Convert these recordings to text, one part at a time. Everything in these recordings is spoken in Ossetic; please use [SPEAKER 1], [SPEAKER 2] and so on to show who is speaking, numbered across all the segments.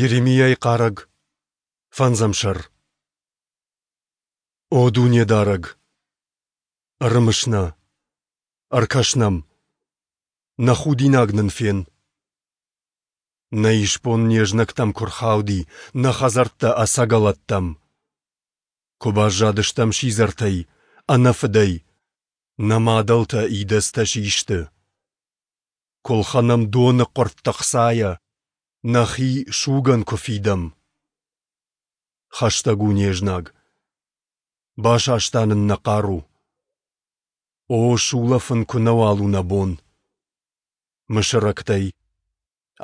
[SPEAKER 1] Йеремиайы хъарӕг, фӕндзӕм сӕр. О Дунедарӕг! Ӕрымыс нӕ, ӕркӕс нӕм, нӕ худинаг нын фен. Нӕ исбон не знӕгтӕм куы рхауди, нӕ хӕдзӕрттӕ ӕцӕгӕлӕттӕм. Куы баззадыстӕм сидзӕртӕй, ӕнӕ фыдӕй, нӕ мадӕлтӕ идӕдзтӕ систы. Куы лхӕнӕм доны хъуыртт ӕхцайӕ, нӕхи сугӕн куы фидӕм. Хӕстӕг у не знаг. Басаста нын нӕ хъару. О, сулӕфын куы нӕуал у нӕ бон. Мысырӕгтӕй,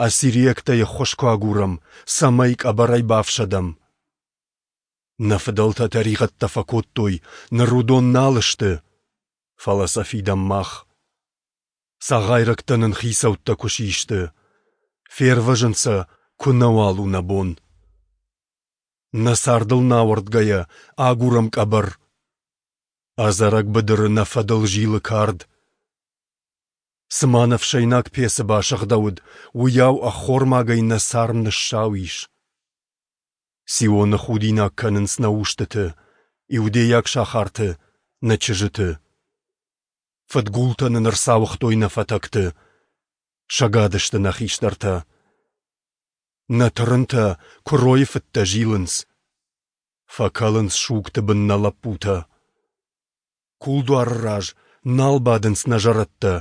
[SPEAKER 1] ассириӕгтӕй ӕххуыс куы агурӕм, цӕмӕй къӕбӕрӕй бафсӕдӕм. Нӕ фыдӕлтӕ тӕригъӕдтӕ фӕкодтой, ныр уыдон нал сты, фӕлӕ сӕ фидӕм мах. Цагъайрӕгтӕ нын хицӕуттӕ куы систы, фервӕзын сӕ куы нӕуал у нӕ бон. Нӕ цардыл нӕ ауӕрдгӕйӕ, агурӕм къӕбӕр. Ӕдзӕрӕг быдыры нӕ фӕдыл зилы кард. Цыма нӕ ӕфсӕйнаг пецы басыгъдӕуыд, уыйау ӕххормагӕй нӕ царм ныссау ис. Сионы худинаг кӕнынц нӕ устыты, иудейаг сахарты, нӕ чызджыты. Фыдгултӕ нын ӕрцауыгътой нӕ фӕтӕгты, сӕгад сты нӕ хистӕртӕ. Нӕ тырынтӕ куыройы фыдтӕ зилынц. Фӕкӕлынц сугты бын нӕ лӕппутӕ. Кулдуары раз нал бадынц нӕ зӕрӕдтӕ,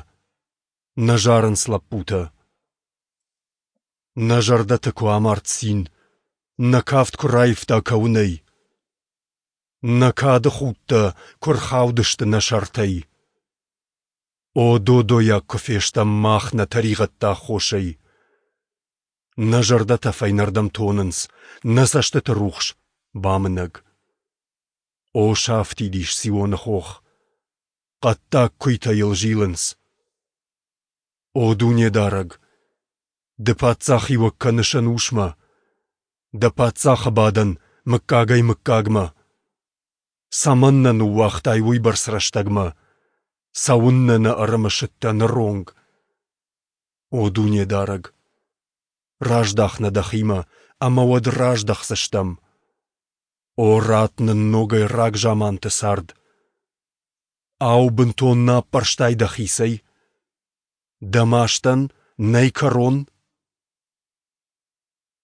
[SPEAKER 1] нӕ зарынц лӕппутӕ. Нӕ зӕрдӕты куы амард цин, нӕ кафт куы раивта кӕуынӕй. Нӕ кады худтӕ куы рхаудысты нӕ сӕртӕй. О, додойаг куы фестӕм мах нӕ тӕригъӕдты аххосӕй! Нӕ зӕрдӕтӕ фӕйнӕрдӕм тонынц, нӕ цӕстыты рухс бамынӕг. О, сафтид ис Сионы хох, хъӕддаг куыйтӕ йыл зилынц. О Дунедарӕг, Ды паддзахиуӕг кӕныс ӕнусмӕ, Дӕ паддзахы бадӕн мыггагӕй-мыггагмӕ. Цӕмӕн нӕ ныууагътай уыйбӕрц рӕстӕгмӕ? Цӕуыннӕ нӕ ӕрымысыдтӕ ныронг? О Дунедарӕг, раздах нӕ Дӕхимӕ, ӕмӕ уӕд раздӕхдзыстӕм. О, ратт нын ногӕй рагзаманты цард! Ау, бынтон нӕ аппӕрстай Дӕхицӕй? Дӕ мастӕн нӕй кӕрон?